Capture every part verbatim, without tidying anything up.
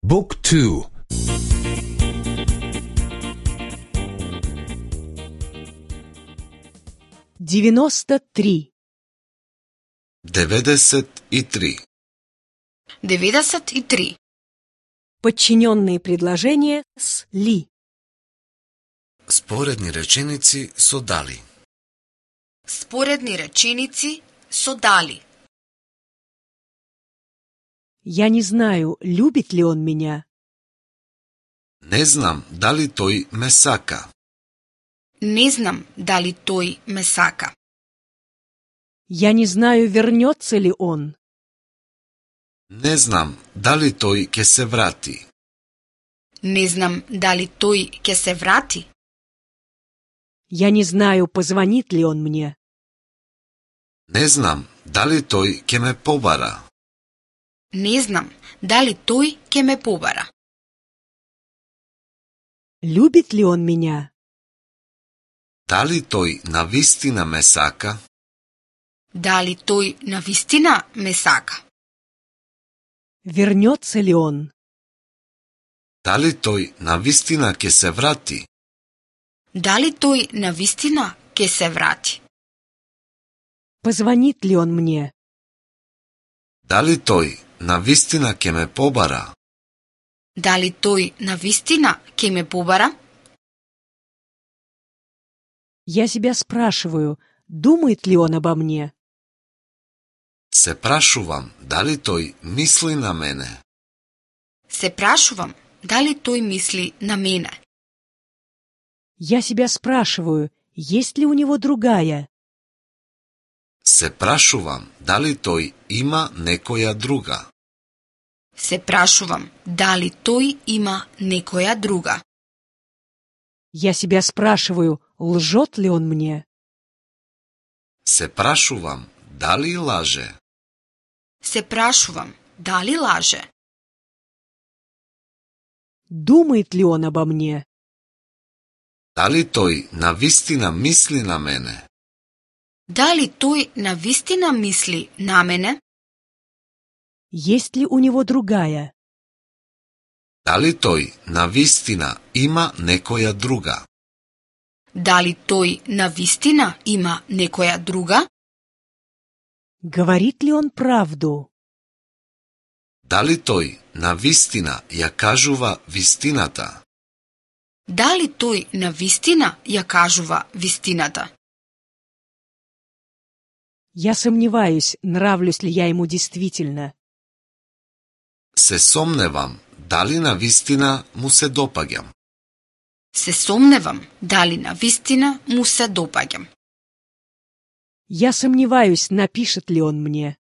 Book two. девяносто три. деветдесет и три. деветдесет и три. Подчиненные предложения с ли. Споредни реченици со дали. Споредни реченици со дали. Я не знаю, любит ли он меня. Не знам дали тој ме сака. Не знам дали тој ме сака. Я не знаю, вернется ли он. Не знам дали тој ќе се врати. Не знам дали тој ќе се врати. Я не знаю, позвонит ли он мне. Не знам дали тој ќе ме побара. Не знам дали тој ќе ме побара. Любит ли он меня? Дали тој навистина ме сака? Дали тој навистина ме сака? Вернется ли он? Дали тој навистина ќе се врати? Дали тој навистина ќе се врати? Позвонит ли он мне? Дали тој навистина ќе ме побара? Дали тој навистина ќе ме побара? Я себя спрашиваю, думает ли он обо мне? Се прашувам дали тој мисли на мене. Се прашувам дали тој мисли на мене. Я себя спрашиваю, есть ли у него другая? Се прашувам дали тој има некоја друга. Се прашувам дали тој има некоја друга. Я себя спрашиваю, лжет ли он мне? Се прашувам дали лаже. Се прашувам дали лаже. Думает ли он обо мне? Дали тој навистина мисли на мене. Дали тој навистина мисли на мене? Есть ли у него другая? Дали тој навистина има некоја друга. Дали тој навистина има некоја друга? Говорит ли он правду? Дали тој навистина ја кажува вистината. Дали тој навистина ја кажува вистината? Я сомневаюсь, нравлюсь ли я ему действительно. Се сомневам дали навистина му се допаѓам. Се сомневам дали навистина му се допаѓам. Я сомневаюсь, напишет ли он мне.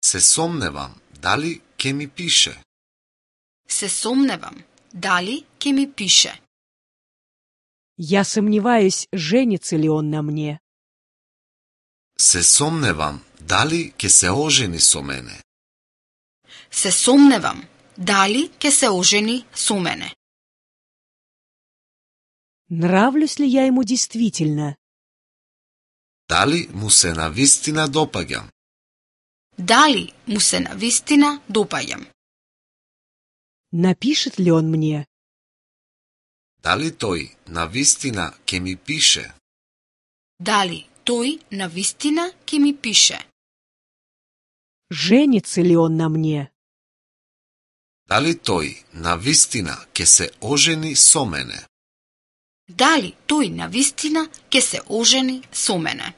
Се сомневам дали ќе ми пише. Се сомневам дали ќе ми пише. Я сомневаюсь, женится ли он на мне. Се сомневам дали ќе се ожени со мене. Се сомневам дали ќе се ожени со мене. Нравлюсь ли я ему действительно? Дали му се навистина допаѓам. Дали му се навистина допаѓам. Напишет ли он мне? Дали тој навистина ќе ми пише. Дали тој навистина ќе ми пише. Женится ли он на мне? Дали тој навистина ќе се ожени со мене. Дали тој навистина ќе се ожени со мене.